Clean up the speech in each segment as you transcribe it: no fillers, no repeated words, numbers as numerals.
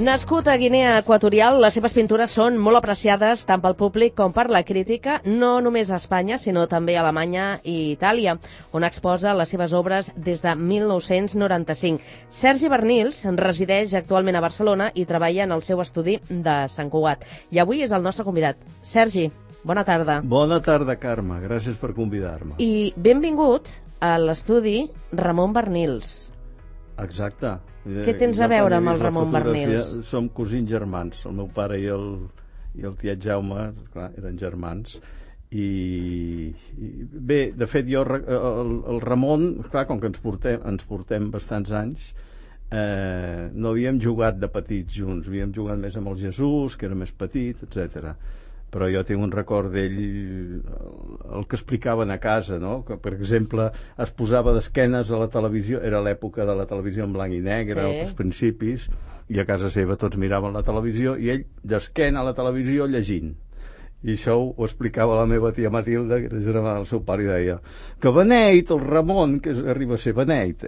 Nascut a Guinea Equatorial, les seves pintures són molt apreciades tant pel públic com per la crítica, no només a Espanya, sinó també a Alemanya i Itàlia, on exposa les seves obres des de 1995. Sergi Bernils resideix actualment a Barcelona i treballa en el seu estudi de Sant Cugat. I avui és el nostre convidat. Sergi, bona tarda. Bona tarda, Carme. Gràcies per convidar-me. I benvingut a l'estudi Ramon Bernils. Exacte. Què tens a veure amb el Ramon Bernils? Som cosins germans. El meu pare i el tiet Jaume, clar, eren germans. I bé, de fet, jo, el Ramon, clar, com que ens portem bastants anys, no havíem jugat de petits junts, havíem jugat més amb el Jesús, que era més petit, etc. Però jo tinc un record d'ell, el que explicaven a casa, no? Que, per exemple, es posava d'esquenes a la televisió, era l'època de la televisió en blanc i negre, sí, als principis, i a casa seva tots miraven la televisió, i ell d'esquena a la televisió llegint. I això ho explicava la meva tia Matilda, que era germana del seu pare, i deia que beneit, el Ramon, que arriba a ser beneit,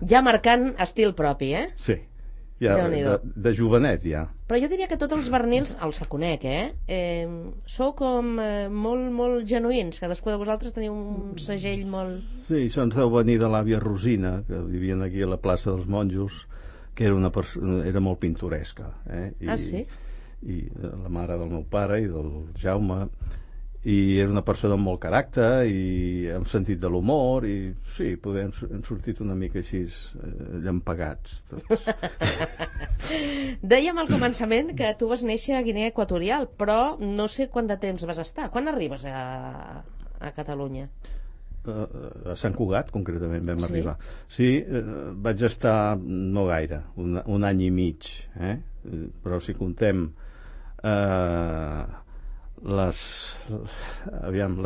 Ja marcant estil propi, eh? Sí. Ja, de jovenet, ja. Però jo diria que tots els Bernils, els que conec, sou com molt genuïns. Cadascú de vosaltres teniu un segell molt... Sí, això ens deu venir de l'àvia Rosina, que vivien aquí a la plaça dels Monjos, que era molt pintoresca. Sí? I la mare del meu pare i del Jaume, i era una persona amb molt caràcter i amb sentit de l'humor, i sí, hem sortit una mica així llampegats tots. Dèiem al començament que tu vas néixer a Guinea Equatorial, però no sé quant de temps vas estar. Quan arribes a Catalunya? A Sant Cugat, concretament, vam arribar. Sí, vaig estar no gaire, un any i mig, però si contem les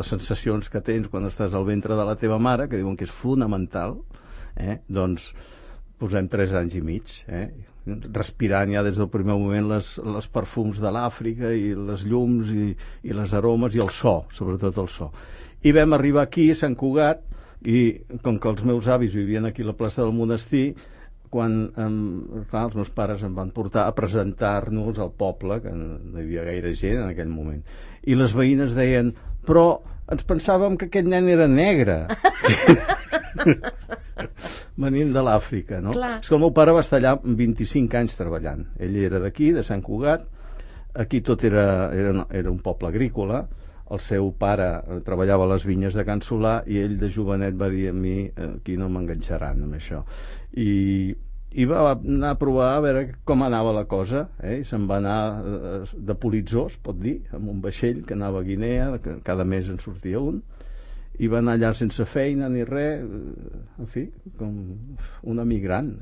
sensacions que tens quan estàs al ventre de la teva mare, que diuen que és fonamental, doncs posem 3 anys i mig, respirant ja des del primer moment les perfums de l'Àfrica i les llums i les aromes i el so, sobretot el so. I vam arribar aquí a Sant Cugat, i com que els meus avis vivien aquí a la plaça del Monestir, quan clar, els meus pares em van portar a presentar-nos al poble, que no hi havia gaire gent en aquell moment, i les veïnes deien, però ens pensàvem que aquest nen era negre. Venint de l'Àfrica, no? Clar. És que el meu pare va estar allà 25 anys treballant. Ell era d'aquí, de Sant Cugat, aquí tot era un poble agrícola. El seu pare treballava a les vinyes de Can Solà i ell de jovenet va dir a mi aquí no m'enganxaran amb això, i va anar a provar a veure com anava la cosa, i se'n va anar de politzó, es pot dir, amb un vaixell que anava a Guinea, que cada mes en sortia un, i va anar allà sense feina ni res, en fi, com un emigrant,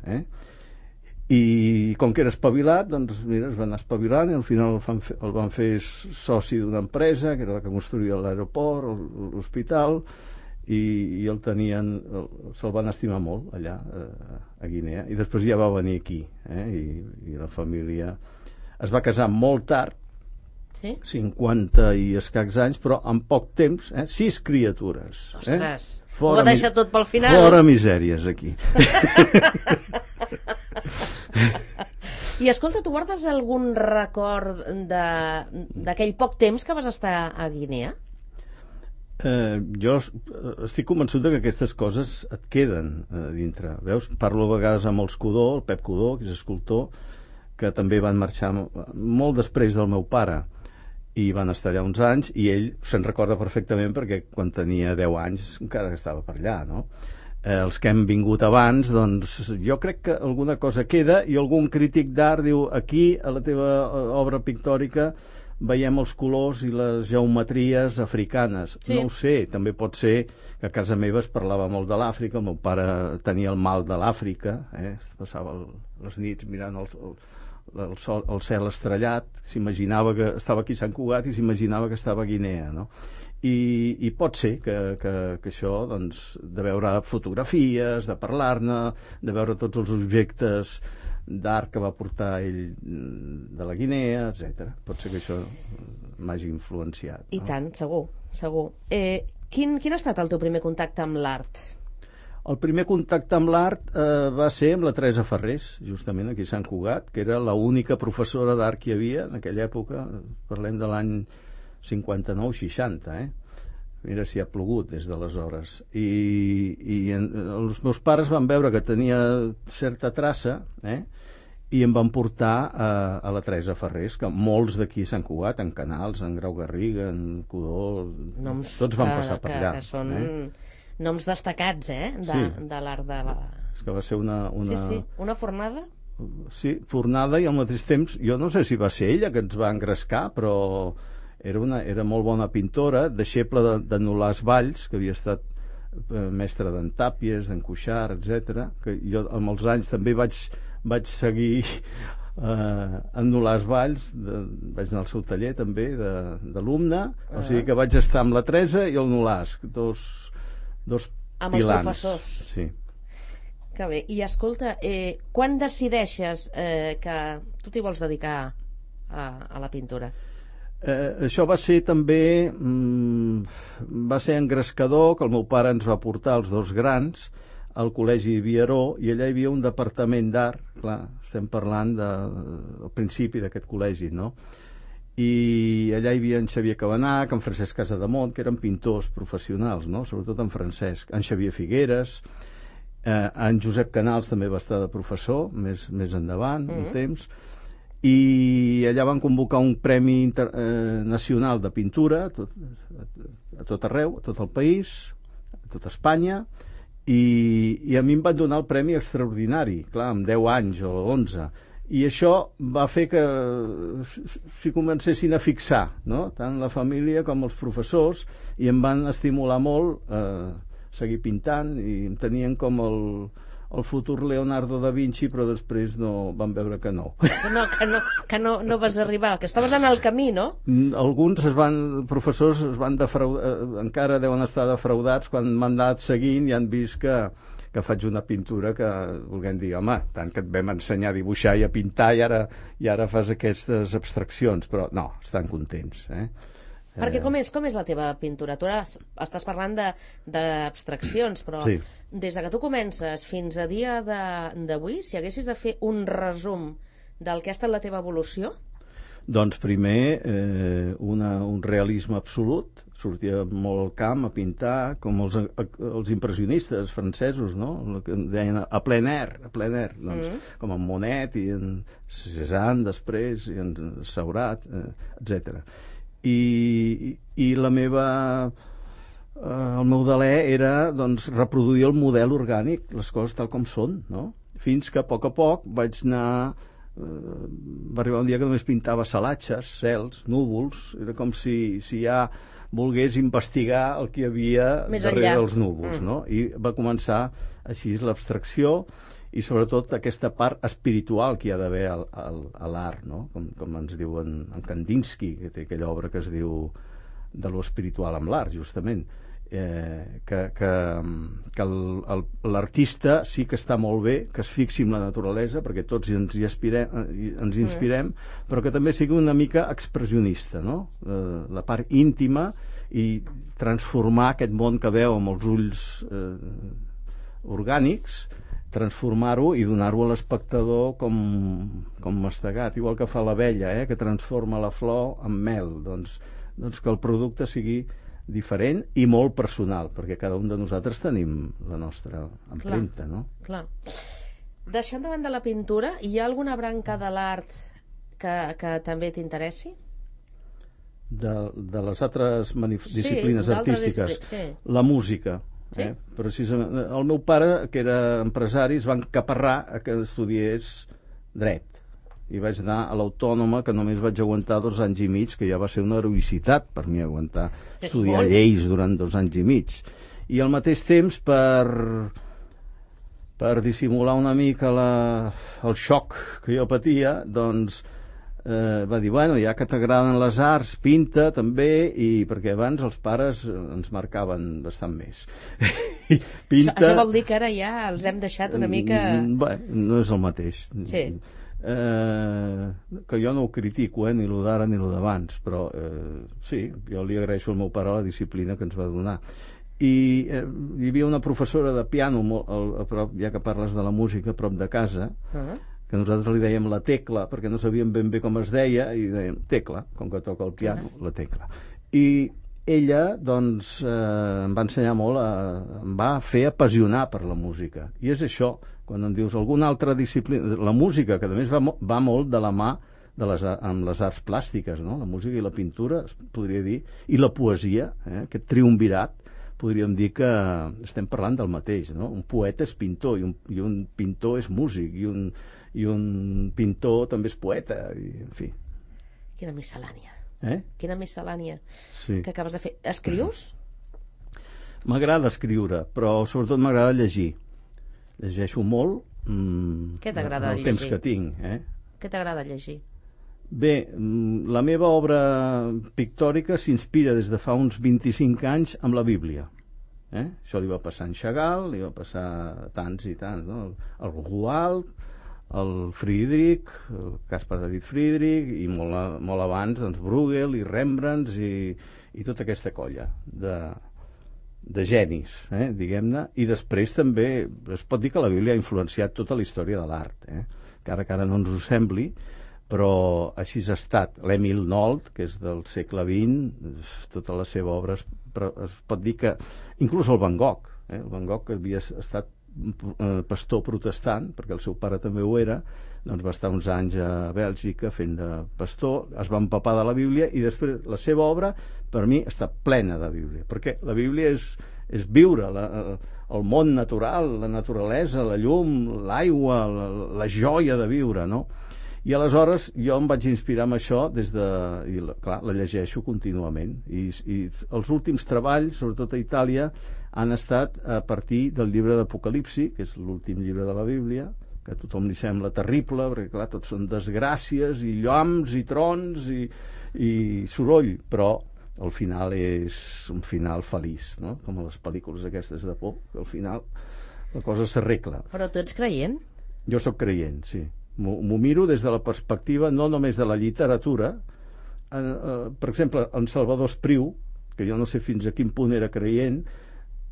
i com que era espavilat, doncs mira, es va anar espavilant i al final el van fer soci d'una empresa que era la que construïa l'aeroport, l'hospital, i el tenien, se'l van estimar molt allà a Guinea, i després ja va venir aquí, i la família es va casar molt tard, sí? 50 i escacs anys, però en poc temps, 6 criatures. Ostres, ho va deixar tot pel final. Fora misèries aquí. I escolta, tu guardes algun record d'aquell poc temps que vas estar a Guinea? Jo estic convençut que aquestes coses et queden dintre. Veus? Parlo a vegades amb els Codó, el Pep Codó, que és escultor, que també van marxar molt després del meu pare i van estar allà uns anys, i ell se'n recorda perfectament perquè quan tenia 10 anys encara estava per allà, no? Els que hem vingut abans, doncs jo crec que alguna cosa queda, i algun crític d'art diu aquí a la teva obra pictòrica veiem els colors i les geometries africanes. Sí. No ho sé, també pot ser que a casa meva es parlava molt de l'Àfrica, el meu pare tenia el mal de l'Àfrica, passava les nits mirant el cel estrellat, s'imaginava que estava aquí a Sant Cugat i s'imaginava que estava a Guinea, no? I pot ser que això, doncs, de veure fotografies, de parlar-ne, de veure tots els objectes d'art que va portar ell de la Guinea, etc. Pot ser que això m'hagi influenciat. I tant, segur. Quin ha estat el teu primer contacte amb l'art? El primer contacte amb l'art va ser amb la Teresa Ferrés, justament aquí a Sant Cugat, que era l'única professora d'art que hi havia en aquella època, parlem de l'any 59-60, Mira si ha plogut des d'aleshores. Els meus pares van veure que tenia certa traça, i em van portar a la Teresa Ferrés, que molts d'aquí a Sant Cugat, en Canals, en Grau Garriga, en Codó, tots van passar per allà. Que són noms destacats, de l'art de la... És que va ser una... Sí, una fornada? Sí, fornada, i al mateix temps, jo no sé si va ser ella que ens va engrescar, però era molt bona pintora, deixeble de Nolàs Valls, que havia estat mestre d'en Tàpies, d'en Cuixart, etc. Que jo amb els anys també vaig seguir en Nolàs Valls, vaig anar al seu taller també d'alumne, o sigui que vaig estar amb la Teresa i el Nolàs, dos amb pilans. Els professors. Sí. Que bé. I escolta, quan decideixes que tu t'hi vols dedicar a la pintura? Això va ser també va ser engrescador, que el meu pare ens va portar els dos grans al col·legi Viaró, i allà hi havia un departament d'art, clar, estem parlant del principi d'aquest col·legi, no? I allà hi havia en Xavier Cabanach, en Francesc Casademont, que eren pintors professionals, no? Sobretot en Francesc, en Xavier Figueres, en Josep Canals també va estar de professor més endavant, un temps, i allà van convocar un premi nacional de pintura a tot arreu, a tot el país, a tot Espanya, i a mi em van donar el premi extraordinari, clar, amb 10 anys o 11, i això va fer que s'hi comencessin a fixar, no? Tant la família com els professors, i em van estimular molt a seguir pintant, i em tenien com el futur Leonardo da Vinci, però després van veure que no. Que no vas arribar, que estaves en el camí, no? Alguns professors es van defraudar, encara deuen estar defraudats quan m'han anat seguint i han vist que faig una pintura que, volguem dir, home, tant que et vam ensenyar a dibuixar i a pintar i ara fas aquestes abstraccions, però no, estan contents, Perquè com és la teva pintura? Tu ara estàs parlant d'abstraccions, però sí. Des de que tu comences fins a dia d'avui, si haguessis de fer un resum del que ha estat la teva evolució? Doncs primer un realisme absolut, sortia molt al camp a pintar, com els impressionistes francesos, no? El que deien a plein air, doncs, com en Monet i en Cézanne després, i en Seurat, etc. I la meva el meu delè era doncs reproduir el model orgànic, les coses tal com són, no? Fins que a poc vaig anar va arribar un dia que només pintava salatges, cels, núvols, era com si ja volgués investigar el que hi havia darrere dels núvols, no? I va començar així l'abstracció i sobretot aquesta part espiritual que hi ha d'haver a l'art, no? Com ens diu en Kandinsky, que té aquella obra que es diu de lo espiritual amb l'art, justament, que l'artista sí que està molt bé que es fixi en la naturalesa, perquè tots ens inspirem, però que també sigui una mica expressionista, no? La part íntima, i transformar aquest món que veu amb els ulls orgànics, transformar-ho i donar-ho a l'espectador com mastegat, igual que fa l'abella, que transforma la flor en mel, doncs que el producte sigui diferent i molt personal, perquè cada un de nosaltres tenim la nostra empremta, no? Clar. Deixant de banda la pintura, hi ha alguna branca de l'art que també t'interessi? De les altres disciplines artístiques? Sí. La música. Sí? Precisament, el meu pare, que era empresari, es va encaparrar que estudiés dret, i vaig anar a l'Autònoma, que només vaig aguantar 2 anys i mig, que ja va ser una heroïcitat per mi aguantar estudiar lleis durant 2 anys i mig, i al mateix temps per dissimular una mica el xoc que jo patia, doncs va dir, bueno, ja que t'agraden les arts, pinta també, i perquè abans els pares ens marcaven bastant més. Pinta... Això vol dir que ara ja els hem deixat una mica... Bé, no és el mateix. Sí. Que jo no ho critico, ni lo d'ara ni lo d'abans, però sí, jo li agraeixo al meu pare la disciplina que ens va donar. i hi havia una professora de piano a prop, ja que parles de la música, a prop de casa, que nosaltres li dèiem la Tecla, perquè no sabíem ben bé com es deia, i dèiem Tecla, com que toca el piano, la Tecla. I ella, doncs, em va ensenyar molt, em va fer apassionar per la música. I és això, quan em dius alguna altra disciplina, la música, que a més va molt de la mà amb les arts plàstiques, no? La música i la pintura, es podria dir, i la poesia, aquest triumvirat, podríem dir que estem parlant del mateix, no? Un poeta és pintor i un pintor és músic i un pintor també és poeta, i, en fi. Quina miscel·lània. Quina miscel·lània que acabes de fer. Escrius? M'agrada escriure, però sobretot m'agrada llegir. Llegeixo molt. Què t'agrada llegir? El temps que tinc. Què t'agrada llegir? Bé, la meva obra pictòrica s'inspira des de fa uns 25 anys amb la Bíblia. Això li va passar a en Chagall, li va passar a tants i tants, no? El Roald, el Friedrich, el Caspar David Friedrich, i molt abans, doncs, Bruegel i Rembrandt i tota aquesta colla de genis, diguem-ne. I després també es pot dir que la Bíblia ha influenciat tota la història de l'art, que ara no ens ho sembli, però així ha estat. L'Emil Nold, que és del segle XX, tota la seva obra es pot dir que inclús el Van Gogh, el Van Gogh, que havia estat pastor protestant, perquè el seu pare també ho era, doncs va estar uns anys a Bèlgica fent de pastor, es va empapar de la Bíblia, i després la seva obra per mi està plena de Bíblia, perquè la Bíblia és viure el món natural, la naturalesa, la llum, l'aigua, la joia de viure, no? I aleshores jo em vaig inspirar amb això i clar, la llegeixo contínuament, i els últims treballs, sobretot a Itàlia, han estat a partir del llibre d'Apocalipsi, que és l'últim llibre de la Bíblia, que a tothom li sembla terrible, perquè clar, tots són desgràcies i llamps i trons i soroll, però el final és un final feliç, no? Com a les pel·lícules aquestes de por, que al final la cosa s'arregla. Però tu ets creient? Jo sóc creient, sí. M'ho miro des de la perspectiva no només de la literatura. Per exemple, en Salvador Espriu, que jo no sé fins a quin punt era creient,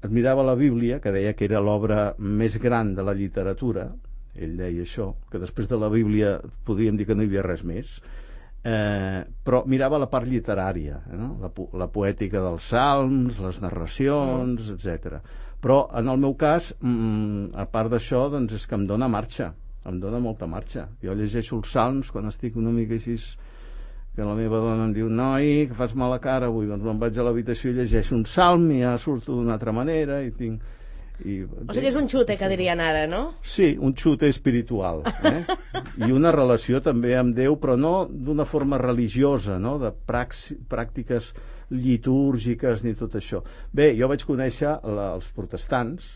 es mirava la Bíblia, que deia que era l'obra més gran de la literatura. Ell deia això, que després de la Bíblia podríem dir que no hi havia res més, però mirava la part literària, no? La poètica dels salms, les narracions, etc. Però en el meu cas, a part d'això, doncs és que em dóna marxa, em dóna molta marxa. Jo llegeixo els salms quan estic una mica així, que la meva dona em diu: noi, que fas mala cara avui, doncs me'n vaig a l'habitació i llegeixo un salm i ja surto d'una altra manera i tinc... O sigui, és un xute, que dirien ara, no? Sí, un xute espiritual, i una relació també amb Déu, però no d'una forma religiosa, no? De pràctiques litúrgiques ni tot això. Bé, jo vaig conèixer els protestants,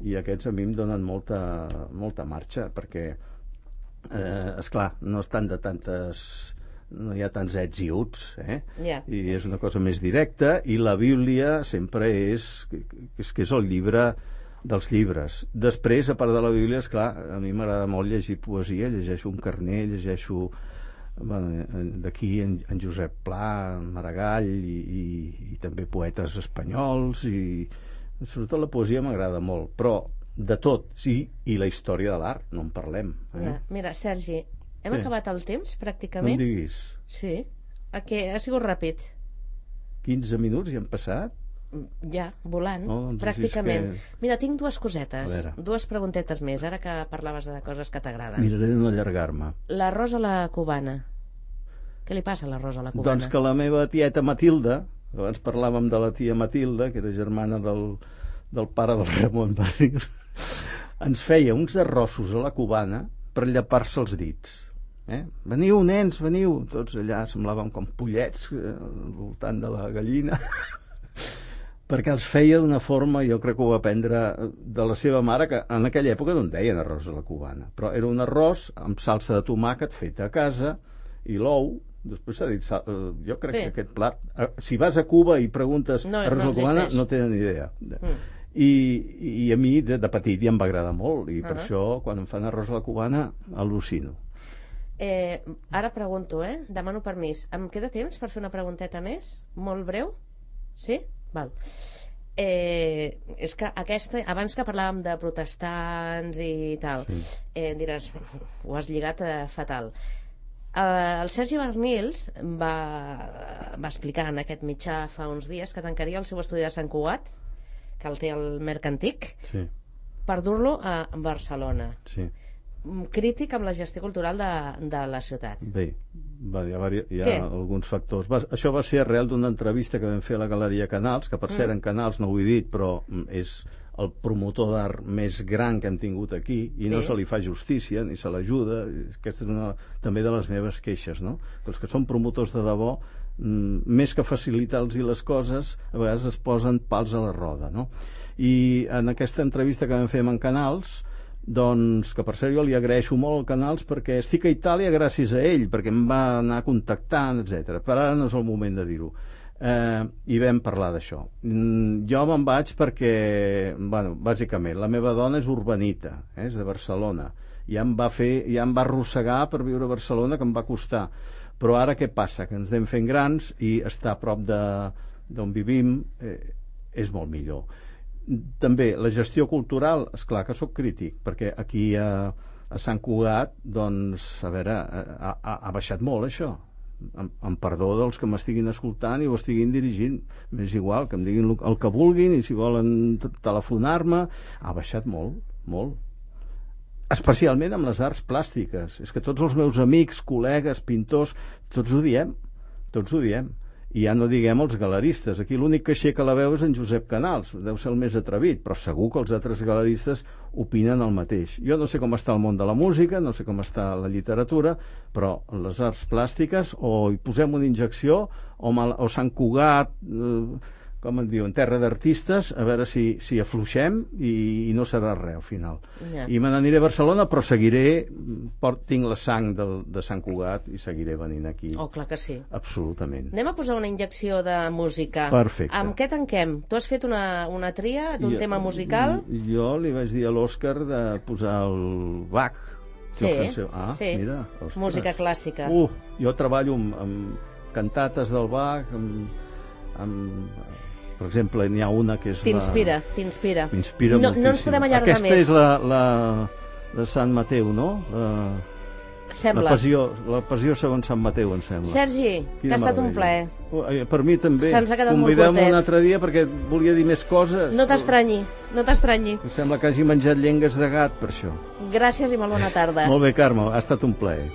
i aquests a mi em donen molta marxa, perquè esclar, no estan no hi ha tants ets i uts, i és una cosa més directa, i la Bíblia sempre és el llibre dels llibres. Després, a part de la Bíblia, esclar, a mi m'agrada molt llegir poesia, llegeixo un Carner, llegeixo d'aquí en Josep Pla, Maragall, i també poetes espanyols, i sobretot la poesia m'agrada molt, però de tot, sí, i la història de l'art, no en parlem. Mira, Sergi, hem acabat el temps, pràcticament. No em diguis. Sí, ha sigut ràpid. 15 minuts ja han passat? Ja, volant, doncs pràcticament. Mira, tinc dues cosetes, dues preguntetes més, ara que parlaves de coses que t'agraden. Miraré de no allargar-me. L'arròs a la cubana. Què li passa a l'arròs a la cubana? Doncs que la meva tieta Matilda, abans parlàvem de la tia Matilda, que era germana del pare del Ramon Barril, ens feia uns arrossos a la cubana per llepar-se els dits. Veniu, nens, veniu. Tots allà semblàvem com pollets al voltant de la gallina, perquè els feia d'una forma, jo crec que ho va aprendre de la seva mare, que en aquella època no en deien arròs a la cubana, però era un arròs amb salsa de tomàquet feta a casa i l'ou. Després s'ha dit, jo crec que aquest plat, si vas a Cuba i preguntes arròs a la cubana, no tenen ni idea. I a mi de petit ja em va agradar molt, i per això quan em fan arròs a la cubana al·lucino. Ara pregunto, demano permís. Em queda temps per fer una pregunteta més? Molt breu? Sí? Val. És que abans que parlàvem de protestants i tal, diràs, ho has lligat fatal. El Sergi Barnils va explicar en aquest mitjà fa uns dies que tancaria el seu estudi de Sant Cugat, que el té al Mercantic, per dur-lo a Barcelona. Crític amb la gestió cultural de la ciutat. Bé, hi ha alguns factors. Això va ser arrel d'una entrevista que vam fer a la Galeria Canals, que per cert en Canals no ho he dit, però és el promotor d'art més gran que hem tingut aquí, i no se li fa justícia ni se l'ajuda. Aquesta és una també de les meves queixes, no? Que els que són promotors de debò, més que facilitar-los les coses, a vegades es posen pals a la roda, no? I en aquesta entrevista que vam fer en Canals, doncs, que per cert jo li agraeixo molt al Canals perquè estic a Itàlia gràcies a ell, perquè em va anar contactant, etc. Per ara no és el moment de dir-ho. I vam parlar d'això. Jo me'n vaig perquè, bueno, bàsicament, la meva dona és urbanita, és de Barcelona, ja em va arrossegar per viure a Barcelona, que em va costar. Però ara què passa? Que ens anem fent grans i estar a prop d'on vivim és molt millor. També la gestió cultural, esclar que sóc crític, perquè aquí a Sant Cugat, doncs, a veure, ha baixat molt això. Amb perdó dels que m'estiguin escoltant i ho estiguin dirigint, m'és igual, que em diguin el que vulguin, i si volen telefonar-me, ha baixat molt, molt. Especialment amb les arts plàstiques. És que tots els meus amics, col·legues, pintors, tots ho diem. I ja no diguem els galeristes. Aquí l'únic que aixeca la veu és en Josep Canals, deu ser el més atrevit, però segur que els altres galeristes opinen el mateix. Jo no sé com està el món de la música, no sé com està la literatura, però les arts plàstiques, o hi posem una injecció, o Sant Cugat, com en diuen, terra d'artistes, a veure si afluixem i no serà res al final. I me n'aniré a Barcelona, però seguiré, tinc la sang de Sant Cugat i seguiré venint aquí. Oh, clar que sí. Absolutament. Anem a posar una injecció de música. Perfecte. Amb què tanquem? Tu has fet una tria d'un tema musical? Jo li vaig dir a l'Òscar de posar el Bach. Sí, mira, música clàssica. Jo treballo amb cantates del Bach, per exemple, n'hi ha una que és T'inspira. M'inspira moltíssim. No ens podem allargar més. Aquesta és la de Sant Mateu, no? Sembla. La passió segons Sant Mateu, em sembla. Sergi, que ha estat un plaer. Per mi també. Se'ns ha quedat molt curtet. Convidem un altre dia perquè volia dir més coses. No t'estranyi. Em sembla que hagi menjat llengues de gat per això. Gràcies i molt bona tarda. Molt bé, Carme, ha estat un plaer.